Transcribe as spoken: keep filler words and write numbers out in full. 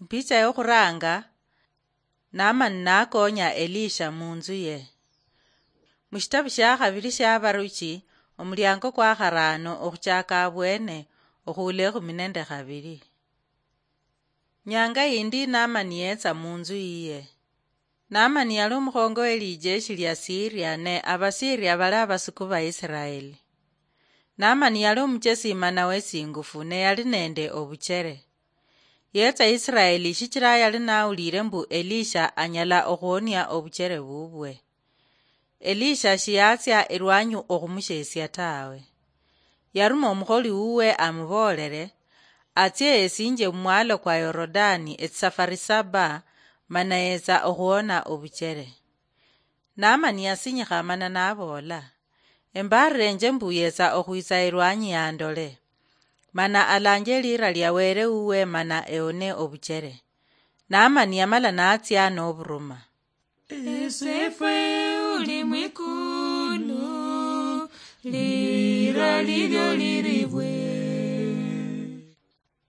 Ipicha yokhuranga, Naamani nakonya Elisha munzu ye. Mushitabu shia khabili shia Abaruchi, omuliango kwa kharaano okhuchaka abwene, okhuula ekhumi nende khabili. Nyanga yindi Naamani yetsa munzu yiye. Naamani yali omukhongo we lijeshi lia Siria, ne Abasiria bali abasuku ba Isiraeli. Naamani yali omuchesi mana wesingufu, ne yali nende obuchere. Yetsa Isiraeli shichira yali nawulire mbu Elisha anyala okhuonia obuchere bubwe. Elisha shiyatsia erwanyi okhumushesia tawe. Yaruma omukholi wuwe amuboolere, atsie yesinje mumwalo kwa Yorodani etsisafari saba, mana yetsa okhuona obuchere. Naamani yasinyikha mana naboola, "Embaarirenje mbu yetsa okhwitsa erwanyi yandole, mana alanje elira lia Wele wuwe mana eone obuchere." Naamani yamala natsia noburuma. Esefwe uli mwikulu, lira lilyo liri